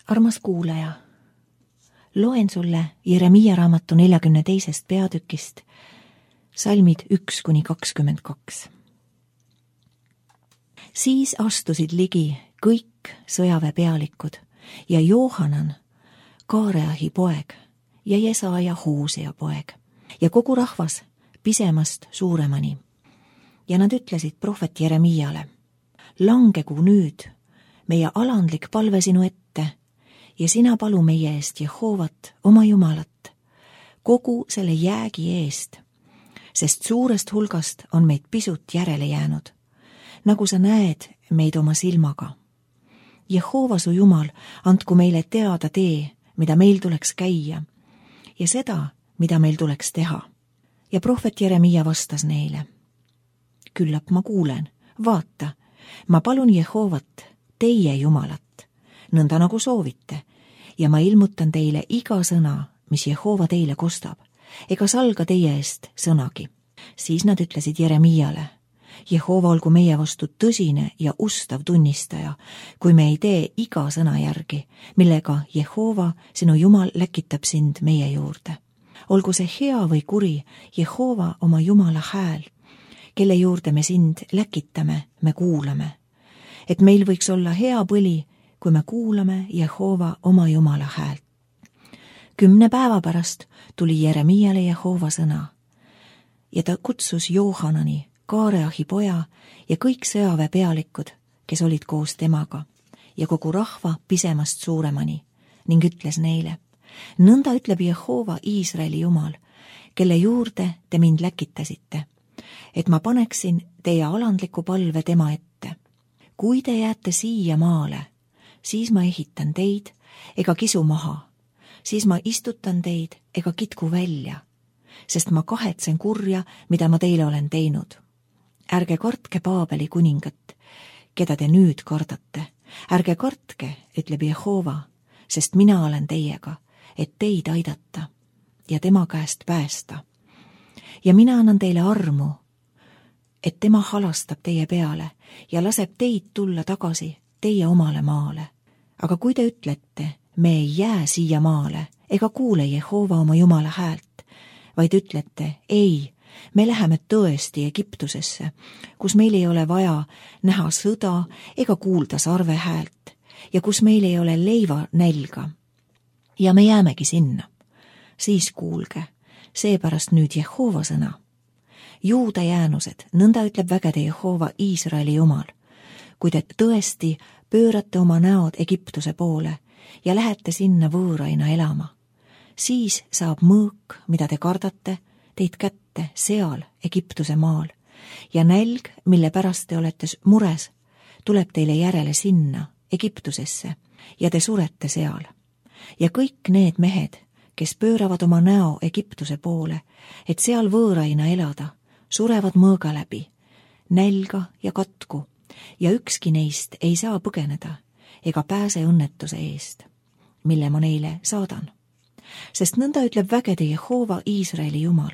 Armas kuulaja, loen sulle Jeremiia raamatu 42. peatükist salmid 1–22. Siis astusid ligi kõik sõjaväepealikud ja Johanan, Kaareahi poeg ja Jesaja Hoosea poeg ja kogu rahvas pisemast suuremani. Ja nad ütlesid prohvet Jeremiiale: langegu nüüd meie alandlik palve sinu ette ja sina palu meie eest Jehoovat, oma Jumalat, kogu selle jäägi eest, sest suurest hulgast on meid pisut järele jäänud, nagu sa näed meid oma silmaga. Jehova su Jumal, andku meile teada tee, mida meil tuleks käia, ja seda, mida meil tuleks teha. Ja prohvet Jeremiia vastas neile: küllap ma kuulen, vaata, ma palun Jehovat, teie Jumalat, nõnda nagu soovite, ja ma ilmutan teile iga sõna, mis Jehova teile kostab, ega salga teie eest sõnagi. Siis nad ütlesid Jeremiiale: Jehova olgu meie vastu tõsine ja ustav tunnistaja, kui me ei tee iga sõna järgi, millega Jehova, sinu Jumal, läkitab sind meie juurde. Olgu see hea või kuri, Jehova oma Jumala hääl, kelle juurde me sind läkitame, me kuulame. Et meil võiks olla hea põli, kui me kuulame Jehova oma Jumala häält. 10 päeva pärast tuli Jeremiiale Jehova sõna ja ta kutsus Johanani, Kaareahi poja ja kõik sõjaväepealikud, kes olid koos temaga, ja kogu rahva pisemast suuremani, ning ütles neile: nõnda ütleb Jehova, Iisraeli Jumal, kelle juurde te mind läkitasite, et ma paneksin teie alandliku palve tema ette. Kui te jääte siia maale, siis ma ehitan teid ega kisu maha, siis ma istutan teid ega kitku välja, sest ma kahetsen kurja, mida ma teile olen teinud. Ärge kartke Paabeli kuningat, keda te nüüd kardate. Ärge kartke, ütleb Jehova, sest mina olen teiega, et teid aidata ja tema käest päästa. Ja mina annan teile armu, et tema halastab teie peale ja laseb teid tulla tagasi teie omale maale. Aga kui te ütlete, me ei jää siia maale ega kuule Jehova oma Jumala häält, vaid ütlete, ei, me läheme tõesti Egiptusesse, kus meil ei ole vaja näha sõda ega kuulda sarve häält ja kus meil ei ole leiva nälga. Ja me jäämegi sinna. Siis kuulge, seepärast nüüd Jehova sõna. Juuda jäänused, nõnda ütleb vägede Jehova, Iisraeli Jumal, kui te tõesti pöörate oma näod Egiptuse poole ja lähete sinna võõraina elama, siis saab mõõk, mida te kardate, teid kätte seal Egiptuse maal ja nälg, mille pärast te olete mures, tuleb teile järele sinna Egiptusesse ja te surete seal. Ja kõik need mehed, kes pööravad oma näo Egiptuse poole, et seal võõraina elada, surevad mõõga läbi, nälga ja katku, ja ükski neist ei saa põgeneda ega pääse õnnetuse eest, mille ma neile saadan. Sest nõnda ütleb vägede Jehova, Iisraeli Jumal,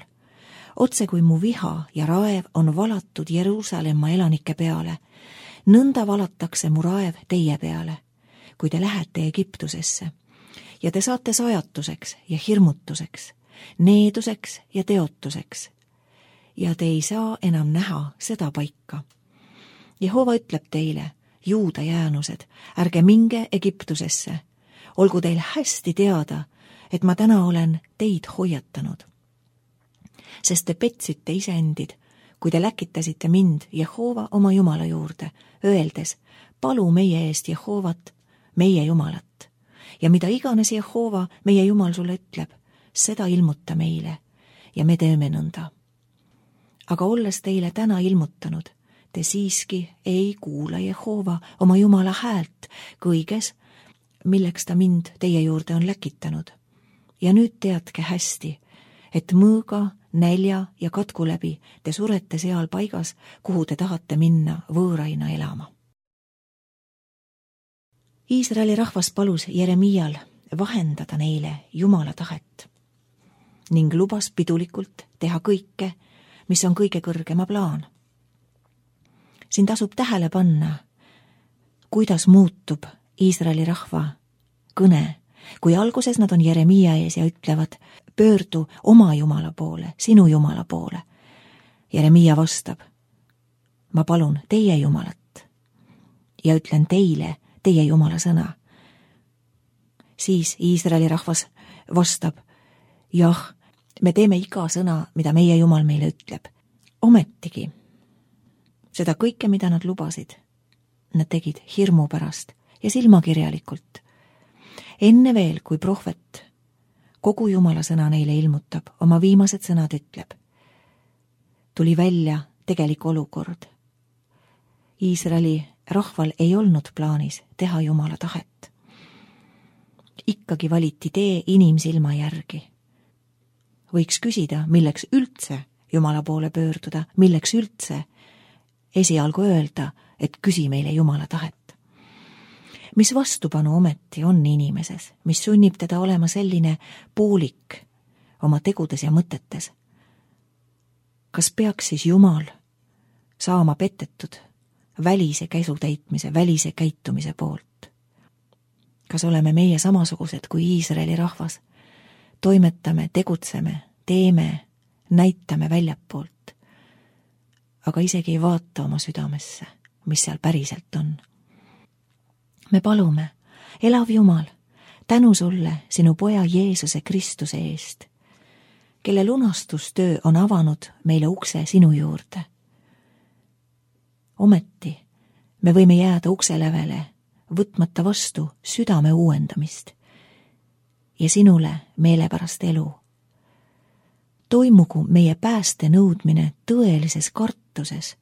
otse kui mu viha ja raev on valatud Jeruusalemma elanike peale, nõnda valatakse mu raev teie peale, kui te lähete Egiptusesse, ja te saate sajatuseks ja hirmutuseks, needuseks ja teotuseks, ja te ei saa enam näha seda paika. Jehova ütleb teile, Juuda jäänused, ärge minge Egiptusesse, olgu teil hästi teada, et ma täna olen teid hoiatanud. Sest te petsite iseendid, kui te läkitasite mind Jehova oma Jumala juurde, öeldes, palu meie eest Jehovat, meie Jumalat. Ja mida iganes Jehova, meie Jumal sulle ütleb, seda ilmuta meile ja me teeme nõnda. Aga olles teile täna ilmutanud, te siiski ei kuula Jehova oma Jumala häält kõiges, milleks ta mind teie juurde on läkitanud. Ja nüüd teadke hästi, et mõõga, nälja ja katku läbi te surete seal paigas, kuhu te tahate minna võõraina elama. Iisraeli rahvas palus Jeremiial vahendada neile Jumala tahet ning lubas pidulikult teha kõike, mis on kõige kõrgema plaan. Siin tasub tähele panna, kuidas muutub Iisraeli rahva kõne, kui alguses nad on Jeremiia ees ja ütlevad, pöördu oma Jumala poole, sinu Jumala poole. Jeremiia vastab, ma palun teie Jumalat ja ütlen teile teie Jumala sõna. Siis Iisraeli rahvas vastab, jah, me teeme iga sõna, mida meie Jumal meile ütleb. Ometigi, seda kõike, mida nad lubasid, nad tegid hirmu pärast ja silmakirjalikult. Enne veel, kui prohvet kogu Jumala sõna neile ilmutab, oma viimased sõnad ütleb, tuli välja tegelik olukord. Iisraeli rahval ei olnud plaanis teha Jumala tahet. Ikkagi valiti tee inimsilma järgi. Võiks küsida, milleks üldse Jumala poole pöörduda, milleks üldse esialgu öelda, et küsi meile Jumala tahet. Mis vastupanu ometi on inimeses, mis sunnib teda olema selline poolik oma tegudes ja mõtetes? Kas peaks siis Jumal saama petetud välise käsu täitmise, välise käitumise poolt? Kas oleme meie samasugused kui Iisraeli rahvas? Toimetame, tegutseme, teeme, näitame väljapoolt, aga isegi ei vaata oma südamesse, mis seal päriselt on. Me palume, elav Jumal, tänu sulle sinu poja Jeesuse Kristuse eest, kelle lunastustöö on avanud meile ukse sinu juurde. Ometi me võime jääda ukselävele, võtmata vastu südame uuendamist ja sinule meelepärast elu. Toimugu meie pääste nõudmine tõelises kartuses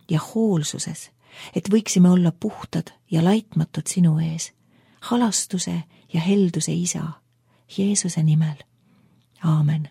ja hoolsuses, et võiksime olla puhtad ja laitmatud sinu ees, halastuse ja helduse isa, Jeesuse nimel. Aamen.